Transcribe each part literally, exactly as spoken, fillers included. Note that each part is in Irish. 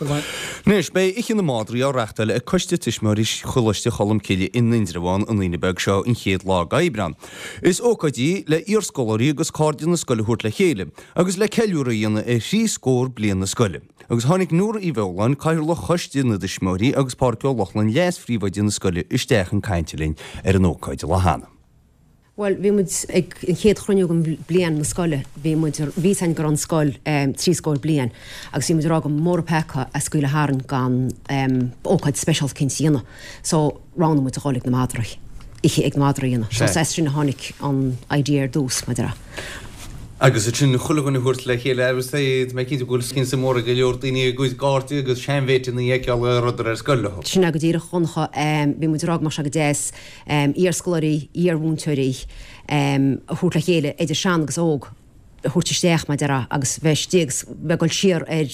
Anois, beidh Oíche na Madraí á reachtáil ag Coiste Tuismitheoirí Choláiste Cholmcille in Indreabhán an Aoine beag seo an chéad lá d'Aibreán. Is ócáid í le iarscoláirí agus cairde na scoile a thabhairt le chéile agus le ceiliúradh a dhéanamh ar thrí scór bliain na scoile. Agus tháinig Nóra Uí Bheoláin, Cathaoirleach Choiste na dTuismitheoirí agus Pádraig Ó Lochlainn, Leas-Phríomhoide na scoile isteach chun cainte linn ar an ócáid an lá cheana. Bhuel, bhí muid ag an chéad chruinniú den bhliain na scoile, bhí muid, bhí fhios againn go raibh an scoil trí scór bliain agus bhí muid ag rá go mba mór an peaca a scaoileadh tharainn gan ócáid speisialta eicínt a dhéanamh. So, roghnaigh muid a dhul ag na madraí, oíche ag na madraí a dhéanamh. So, is as sin a tháinig an idea ar dtús, mar a déarfá. Agus ansin chuile dhuine a thabhairt le chéile agus tá mé cinnte go bhfuil suim mhór ag go leor daoine a gcuid cairde agus seanmhéiteanna a fheiceáil a rabhadar ar scoil leo. Sin é go díreach, a Dhonncha. Bhí muid ag rá go mbeadh sé go deas iarscoláirí, iarmhúinteoirí a thabhairt le chéile, idir sean agus óg, a thabhairt isteach, mar a déarfá, agus bheith istigh agus bheith ag dul siar ar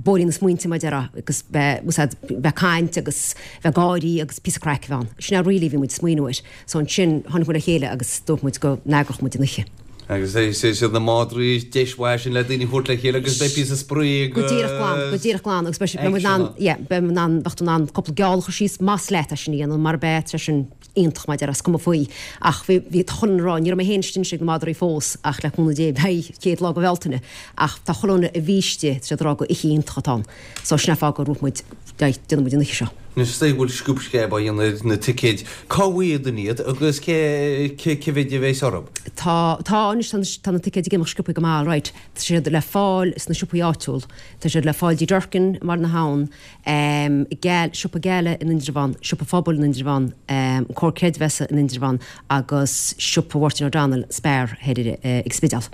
bóithrín na smaointe, mar a déarfá, agus bheith, úsáid, bheith caint agus bheith gáirí agus píosa craic a bheith ann. Sin é really a bhí muid ag smaoineamh air. So ansin tháinig muid le chéile agus dúirt muid go n-eagródh muid an oíche. Agus is iad na madraí deis mhaith sin le daoine a thabhairt le chéile agus beidh píosa spraoi agus. Go díreach glan, go díreach glan agus beidh muid in ann, yeah, beidh muid in ann, bheadh tú in ann cúpla geall a chur síos más leat é sin a dhéanamh mar beidh sé sin iontach mar a déarfá, is cuma faoi. Ach bhí, bhí, tá chuile dhuine ag rá, ní raibh mé féin istigh anois ag na madraí fós ach le cúnamh Dé beidh chéad lá de Bhealtaine ach tá chuile dhuine a bhí istigh, tá siad ag rá gur oíche iontach atá ann. So sin é an fáth go raibh muid, déanfaidh muid an oíche seo. Anois is dóigh go bhfuil sciúb sceab á dhéanamh ar na ticéid. Cá bhfaighidh daoine iad agus cé cé mhéid a bheas orthu? Tá, tá anois, tá na, tá na ticéid ag imeacht sciobtha go maith, right. Tá siad le fáil sna siopaí áitiúil. Tá siad le fáil dtí Durkin i mBaile na hAbhann, Geal, Siopa Geala in Indreabhán, Siopa Phobail in Indreabhán, an Comhar Creidmheasa in Indreabhán agus Siopa Mháirtín O'Donnell, Spar, thoir ag Spidéal.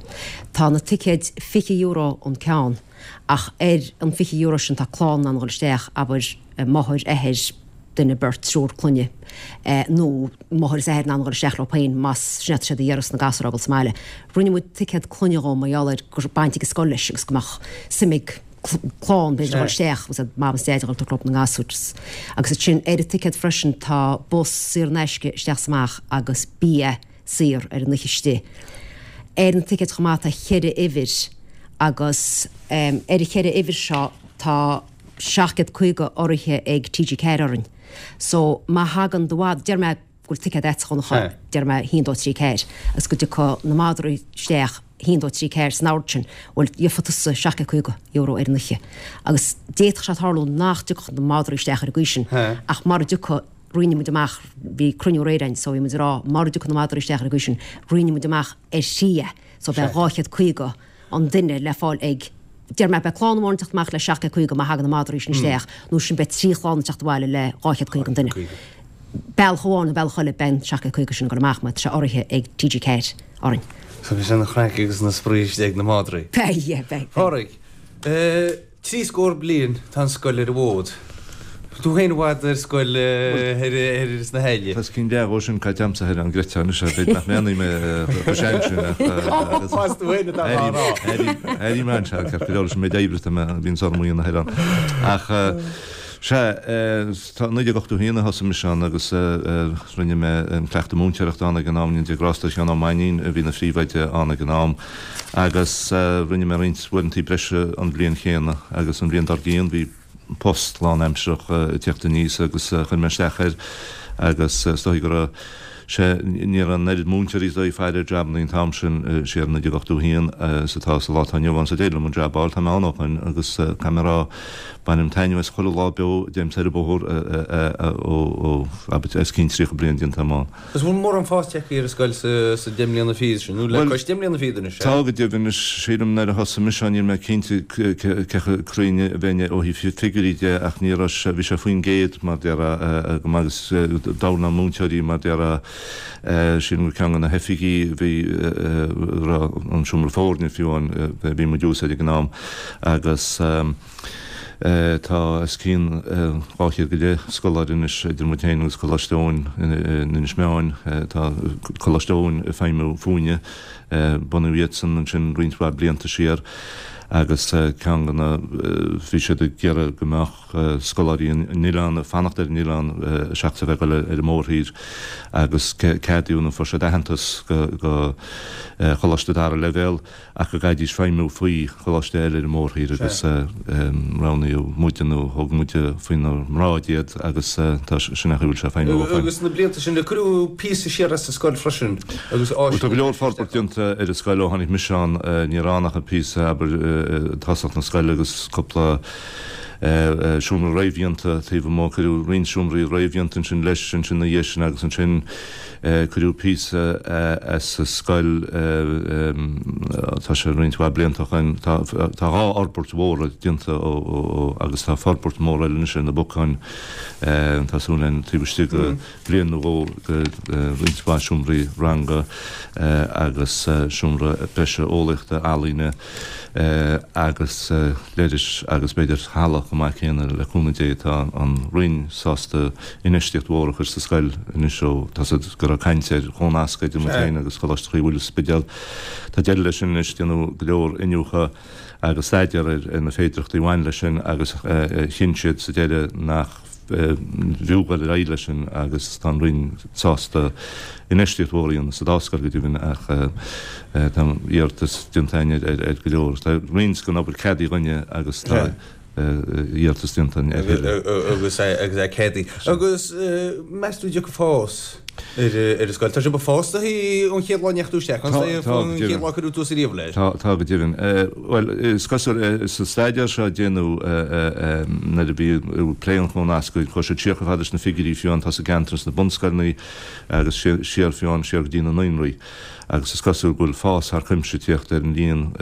Tá na ticéid fiche euro an ceann ach ar an fiche euro sin tá clann in ann a dhul isteach, abair, máthair, athair, duine, beirt, triúr clainne, nó máthair is athair in ann a dhul isteach leo féin más sin atá siad a iarraidh sna gasúir a fhágáil sa mbaile. Rinne muid ticéad clainne dhó mar gheall ar go raibh baint ag an scoil leis agus go mbeadh suim ag clann b'fhéidir a dhul isteach agus mam is deaid a dhul tabhairt leo na ngasúir. Agus ansin ar an ticéad freisin tá bus saor in aisce isteach is amach agus bia saor ar an oíche istigh. Ar na ticéid chomh maith tá ceithre uimhir agus ar an cheithre uimhir seo tá seacht gcéad caoga urraithe ag T G ceathair orainn. So má thagann do mhadra, déarfaidh mé go bhfuil ticéad agat a Dhonncha, déarfaidh mé haon dó trí ceathair, agus go dtiocfaidh na madraí isteach haon dó trí ceathair san ord sin, bhuel gheobhaidh tusa seacht gcéad caoga euro ar an oíche. Agus d'fhéadfadh sé tarlú nach dtiocfadh na madraí isteach ar an gcaoi sin, ach mara dtiocfaidh, roinnfidh muid amach, bhí cruinniú aréir againn so bhí muid ag rá mara dtiocfaidh na madraí isteach ar an gcaoi sin, roinnfidh muid amach ar thrí é, so beidh dhá chéad caoga an duine le fáil ag, déarfaidh mé, beidh clann amháin ag teacht amach le seacht gcéad caoga má thagann na madraí sin isteach, nó sin beidh trí chlann ag teacht abhaile le dhá chéad caoga an duine. Bealach amháin nó bealach eile beidh an seacht gcéad caoga sin ag dul amach mar tá sé urraithe ag T G ceathair orainn. So beidh an chraic agus na spraoi istigh ag na madraí. Beidh, yeah, beidh, beidh. Pádraig, Trí scór bliain tá an scoil ar an bhfód. Tú féin i bhfad ar scoil thoir sna hAille. Tá os cionn leath dhó sin caite a'msa thoir an gcreidfeá anois é, b'fhéidir nach méanaí mé chomh sean sin ach Más tú féin atá á rá. Airím anseo, ceart go leor leis an méid oibre atá mé, a bhíonns orm a dhéanamh thoir ann. Ach sea, tá naoi déag ochtó haon a thosaigh mise ann agus rinne mé an cleachtadh múinteoireachta ann ag an am, i ndiaidh grásta Sheán Ó Mainnín a bhí ina phríomhoide ann ag an am. Agus rinne mé roinnt uaireantaí breise an bhliain chéanna agus an bhliain dár gcionn bhí post lánaimsearach ag tíocht aníos agus chuir mé isteach air agus is dóigh go raibh sé, ní raibh an oiread múinteoirí is dóigh ag faire ar jabannaí an t-am sin, siar i naoi déag ochtó haon, is atá sa lá atá inniu ann so d'éirigh liom an jab a fháil, tá mé ann ó shoin agus caithfidh mé a rá, bainim taitneamh as chuile lá beo a dtéim soir an bóthar ó, ó, abair, os cionn tríocha bliain déanta agam ann. Agus bhfuil mórán fás tagtha ar an scoil sa deich mbliana fichead sin, nó le cois deich mbliana fichead anois, Tá go deimhin. Sílim nuair a thosaigh mise ann, níl mé cinnte cé chomh cruinn a bheinn ó thaobh figiúirí de ach ní raibh sé, bhí sé faoin gcéad mar déarfá go maith agus d'fhoghlaim na múinteoirí mar déarfá, sílim gur ceann de na hoifigí a bhí, raibh an seomra foirne fiú ann, bhí muid ag úsáid ag an am agus. Tá os cionn dhá chéad go leith scoláire anois idir muid féin agus Coláiste Eoin in Inis Meáin. Tá Coláiste Eoin ag feidhmiú fúinne. Bunaíodh iadsan ansin roinnt mhaith blianta siar Agus ceann de na bhí siad ag iarraidh go mbeadh scoláirí an oileáin ag fanacht ar an oileán seachas a bheith ag dul ar an mórthír agus ceadaíodh nó fuair siad aitheantas go choláiste dara leibhéal ach go gcaithfidís feidhmiú faoi choláiste eile ar an mórthír agus roghnaíodh muide nó thóg muide faoinár mbráid iad agus tá sin é an chaoi a bhfuil sé ag feidhmiú ó shin. Agus na blianta sin, cuireadh píosa siar as an scoil freisin agus áiseanna. Tá go leor forbairt déanta ar an scoil ó tháinig mise ann, ní raibh ann ach an píosa, abair, i dtosach na scoile agus cúpla seomra réamhdhéanta taobh amuigh. Cuireadh roinnt seomraí réamhdhéanta ansin leis ansin ina dhiaidh sin agus ansin cuireadh píosa as an scoil, tá sé roinnt mhaith blianta ó shoin, tá dhá fhorbairt mhóra déanta ó agus tá forbairt mhór eile anois ar na bacáin, tá súil againn taobh istigh de bhliain nó dhó go roinnt mhaith seomraí ranga agus seomra breise eolaíochta, ealaíne agus leithris agus b'fhéidir halla chomh maith céanna le cúnamh Dé. Tá an Roinn sásta infheistíocht mhór a chur sa scoil anois ó tá siad go raibh caint ar chónascadh idir muid féin agus Coláiste Chroí Mhuire sa Spidéal. Tá deireadh leis sin anois, déanadh go leor iniúchadh agus staidéar ar na féidearthachtaí a bhain leis sin agus chinn siad sa deireadh nach bhfiú dul ar aghaidh leis sin agus tá an Roinn sásta infheistíocht mhór a dhéanamh sa dá scoil go deimhin ach tá iarratas déanta againn ar go leor. Tá roinnt den obair ceadaithe againne agus tá iarratas déanta againn ar thuilleadh. Agus é ceadaithe. Agus meas tú an dtiocfaidh fás ar an scoil? Tá sibh ag fás ón chéad lá a ndeachaigh tú isteach ann, ón chéad lá a cuireadh tús ariamh leis. Tá, tá go deimhin. Bhuel, is cosúil, sa staidéar seo a déanadh nuair a bhí plé an chónasctha, chuaigh siad siar chomh fada leis na figiúirí fiú atá sa gceantar sna bunscoileanna agus siar fiú siar go dtí na naíonraí. Agus is cosúil go bhfuil fás thar cuimse ag tíocht ar an líon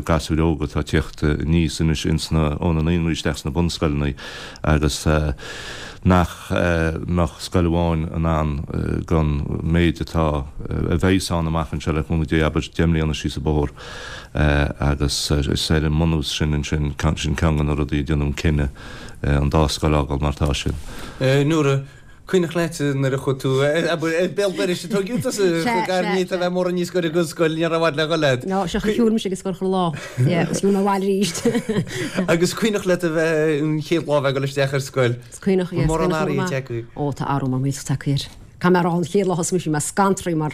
gasúir óga atá ag tíocht aníos anois ins na, ó na naíonraí isteach sna bunscoileanna agus nach mbeadh scoil amháin in ann don méid atá, a bheas ann amach anseo le cúnamh Dé, abair deich mbliana síos an bóthar agus is ar an mbunús sin ansin, sin ceann de na rudaí a déanadh an cinneadh an dá scoil a fhágáil mar atá siad. Nóra, cuimhneach leat nuair a chuaigh tú, abair, béal dorais a tógadh tusa, chomh gar ní a bheith mór aníos go dtí an scoil, ní raibh i bhfad le dhul agat. No, sea, shiúil mise ag an scoil chuile lá, yeah, agus shiúil mé abhaile arís. Agus cuimhneach leat a bheith, an chéad lá a bheith ag dul isteach ar scoil? Is cuimhneach, yeah, is cuimhneach liom go maith. Ó, tá athrú mór millteach tagtha air. Caithfidh mé a rá, an chéad lá a thosaigh mise, bhí mé scantraithe mar,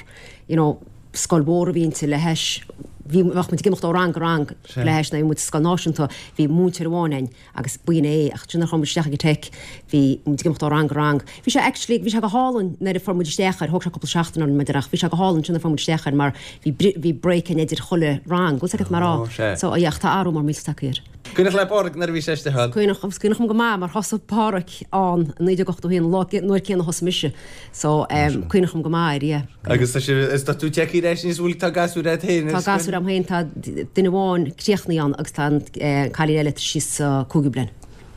you know, scoil mhór a bhí inti le hais, bhí, bheadh muid ag imeacht ó rang go rang le hais nuair a bhí muid sa scoil náisiúnta, bhí múinteoir amháin againn agus b'in é, ach ansin nuair a chuaigh muid isteach ag an Teic, bhí muid ag imeacht ó rang go rang. Bhí sé actually, bhí sé go hálainn nuair a fuair muid isteach air, thóg sé cúpla seachtain orainn b'fhéidir ach bhí sé go hálainn ansin nuair a fuair muid isteach air mar bhí, bhí break againn idir chuile rang, bhfuil 's agat mar á. So, yeah, ach tá athrú mór millteach tagtha air. Cuimhneach le Pádraig nuair a bhí sé istigh ann? Cuimhneach, agus cuimhneach liom go maith mar thosaigh Pádraig ann i naoi déag ochtó a haon, an lá, an uair céanna a thosaigh mise. So, em, cuimhneach liom go maith air, yeah. Agus tá sé, is tá tú tagtha ar ais anois, bhfuil, tá gasúir agat féin ar scoil? Tá gasúir agam féin, tá duine amháin críochnaithe ann agus tá an eh, cailín eile síos sa cúigiú bliain.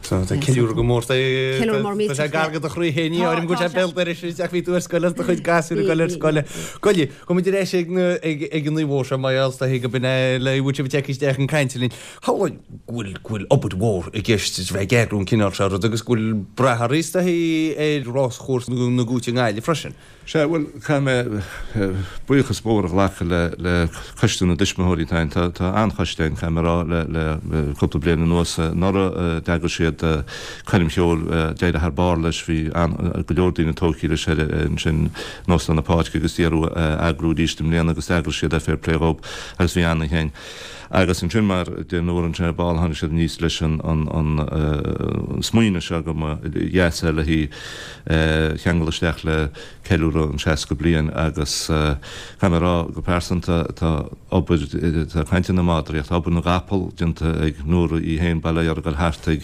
So, tá ceiliúradh go mór, tá, tá sé gar go do chroí féin, ní áirim go bhfuil sé béal dorais ach bhí tú ar scoil agus do chuid gasúir ag dul ar scoil. Goile, gabhfaidh muid ar ais ag na, ag, ag an naomh seo, mar gheall is dóichí go b'in é le bhfuil sibh tagtha isteach chun cainte linn. Shamhlóinn go bhfuil, go bhfuil obair mhór i gceist is bheith ag eagrú an cineál seo rud agus go bhfuil brath oraibh is dóichí ar ráschúrsa na gCúite i nGaillimh freisin. Sea, bhuel, caithfidh mé buíochas mór a ghlacadh le, le Coiste na dTuismitheoirí atá ann. Tá, tá an-choiste ann, caithfidh mé a rá, le, le cúpla bliain anuas. Anuraidh d'eagraigh siad coirm cheoil, d'éirigh thar barr leis, bhí an, go leor daoine tógtha leis ar, ansin in Óstán na Páirce agus d'iarradh é a eagrú arís i mbliana agus d'eagraigh siad é, fair play dhób, agus bhí an-oíche ann. Agus ansin, mar a deir Nóra ansin ar ball, tháinig siad aníos leis an smaoineamh seo go mba dheas é le hí a cheangal isteach le ceiliúradh an seasca bliain agus caithfidh mé a rá go pearsanta, tá obair, tá caint ar na madraí ach tá obair na gcapall déanta ag Nóra í féin, bail ó Dhia uirthi ag dul thart ag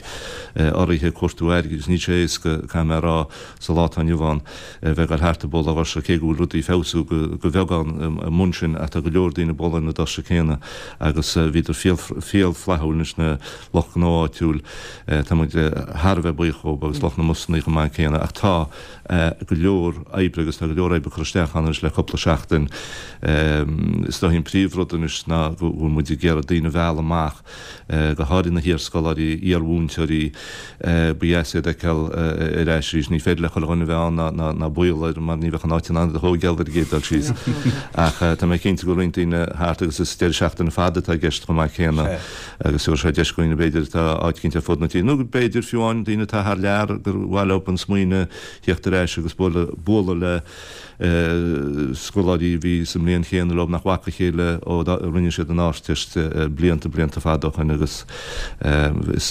urraithe ag cuartú airgid agus níl sé éasca, caithfidh mé a rá, sa lá atá inniu ann a bheith ag dul thart ag bualadh doirse, cé go bhfuil rudaí ag feabhsú go bheagán i mbun sin ach tá go leor daoine ag bualadh ar na doirse céanna agus bhíodar fial flaithiúil leis na lucht gnó áitiúil. Tá muid thar a bheith buíoch dhóibh agus lucht na mbusanna chomh maith céanna ach tá go leor oibre agus tá go leor oibre curtha isteach ann anois le cúpla seachtain. Is dóichí an príomhrud anois ná go bhfuil muid ag iarraidh daoine a mhealladh amach, go háirithe na hiarscoláirí, iarmhúinteoirí, ba dheas iad a fheiceáil ar ais arís. Ní féidir le chuile dhuine a bheith ann ná ná baol air mar ní bheadh an áit in ann iad a thógáil ar an gcéad dul síos. Ach tá mé cinnte go bhfuil roinnt daoine thart agus is deireadh seachtaine fada atá i gceist chomh maith céanna agus tabharfaidh sé deis dhaoine b'fhéidir atá áit eicínt ar fud na tíre nó b'fhéidir fiú amháin daoine atá thar lear gur mhaith leo an smaoineamh theacht ar ais agus bualadh bualadh le scoláirí a bhí sa mbliain chéanna leo nach bhfaca a chéile ó rinne siad an Ardteist blianta blianta fada ó shin agus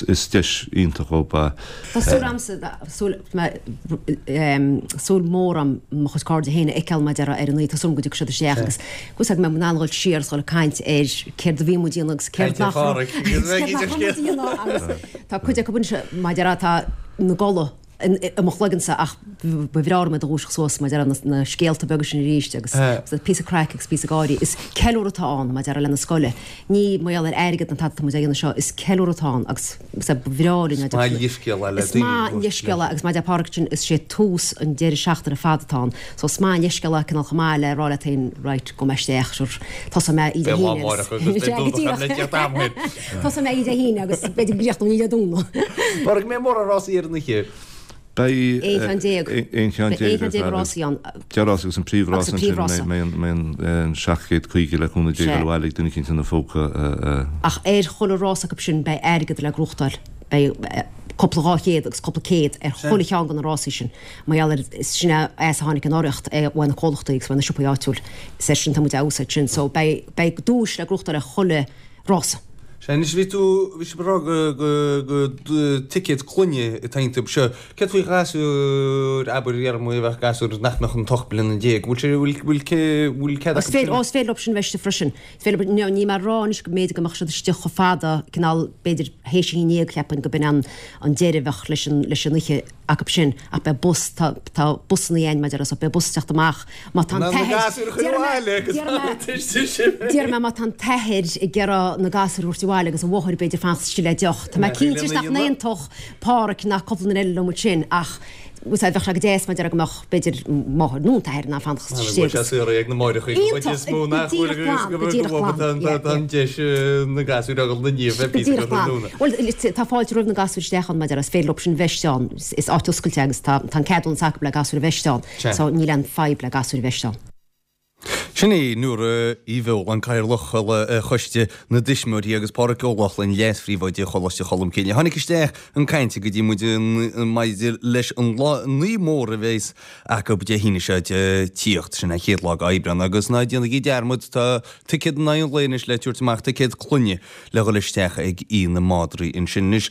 is deis iontach dhóibh é. Tá súil a'msa, súil, súil mhór a'm mo chuid cairde féin a fheiceáil mar a déarfá ar an oíche, tá súil a'm go dtiocfaidh siad isteach agus go bhfuil mé in ann dhul siar agus dhul ag caint ar céard a bhí muid a dhéanamh agus céard nach raibh muid a dhéanamh agus tá cuid acu anois mar a déarfá atá ina gcodladh i mo chloigeannsa ach ba bhreá liom iad a dhúiseacht suas mar a déarfá na scéalta beaga sin arís agus píosa craic agus píosa gáirí. Is ceiliúradh atá ann mar a déarfá leis an scoil. Ní mar gheall ar airgead ná tada atá muid á dhéanamh seo, is ceiliúradh atá ann agus ba bhreá linn Is maith an leithscéal é le Is maith an leithscéal é agus mar a deir Pádraig ansin is sé tús an deireadh seachtaine fada atá ann. So is maith an leithscéal é cineál chomh maith le rá leat féin right gabhfaidh mé isteach sure tosóidh mé oíche Dé Beidh lá hAoine amárach agus beidh Domhnach le teacht am thoir. Tosóidh mé oíche Dé hAoine agus b'fhéidir go gcríochnóidh mé Dé Domhnaigh. Pádraig, an mbeidh mórán rásaí ar an oíche. Beidh Aon cheann déag. aon cheann Beidh aon déag cheann déag rásaí ann. Deich rás agus an príomhrás Agus an ansin príomhrása. mbeidh an seacht gcéad caoga le cúnamh Dé Sea. dul abhaile ag duine eicínt ina phóca. Ach ar chuile rás acu sin beidh airgead le gnóthachtáil. Beidh cúpla dhá chéad agus cúpla céad ar chuile cheann de na rásaí sin. Mar gheall ar sin é as a tháinig an urraíocht ó na comhlachtaí agus ó na siopaí áitiúil. Is air sin tá muid á úsáid sin. So beidh beidh duais le gnóthachtáil ar chuile rása. Sea, anois bhí tú, bhí sibh ag rá go, go, go ticéad clainne atá iontu seo. Céard faoi ghasúir, abair, déarfaidh muid, a bheadh gasúir nach mbeadh ach ocht mbliana déag, bhfuil sé, bhfuil, bhfuil, bhfuil cead Is acu féidir, sin? ó is féidir leo sin bheith istigh freisin. Is féidir, ní, níl mé ag rá anois go mb'fhéidir go mbeadh siad istigh chomh fada, cineál, b'fhéidir théis a haon déag, cheapfainn go b'in an, an deireadh a bheadh leis an, leis an oíche. acu sin ach beidh bus, tá, tá busanna againn mar a déarfá so beidh bus ag teacht amach má tá an t-athair, déarfaidh mé má tá an t-athair ag iarraidh na gasúir a thabhairt abhaile agus an mháthair b'fhéidir fanacht istigh le deoch. Tá mé cinnte nach n-aontódh Páraic ná cúpla duine eile liom ansin ach bhuel bheadh sé go deas mar a déarfá go mbeadh b'fhéidir máthair nó an t-athair in ann fanacht istigh agus. Ag na máithreacha Iontach, go díreach glan, go díreach glan, yeah, yeah. An deis na gasúir a dhul na ndiaidh Go díreach glan. Bhuel, tá fáilte roimh na gasúir isteach ann, mar a déarfá, is féidir leo sin bheith istigh ann. Is áit oscailte agus tá an ceadúnas acu le gasúir a bheith istigh ann. So níl aon fadhb le gasúir a bheith istigh ann. Sin í Nóra Uí Bheoláin, Cathaoirleach Choiste na dTuismitheoirí agus Pádraig Ó Lochlainn, Leas-Phríomhoide Choláiste Cholmcille. Tháinig isteach chun cainte go dtí muid maidir leis an lá an oíche mhór a bheas acu Dé hAoine seo ag tíocht, sin an chéad lá d'Aibreán, agus ná déanaigí dearmad, tá ticéad in aghaidh an lae anois le tabhairt amach, ticéad clainne le dhul isteach ag Oíche na Madraí ansin anois.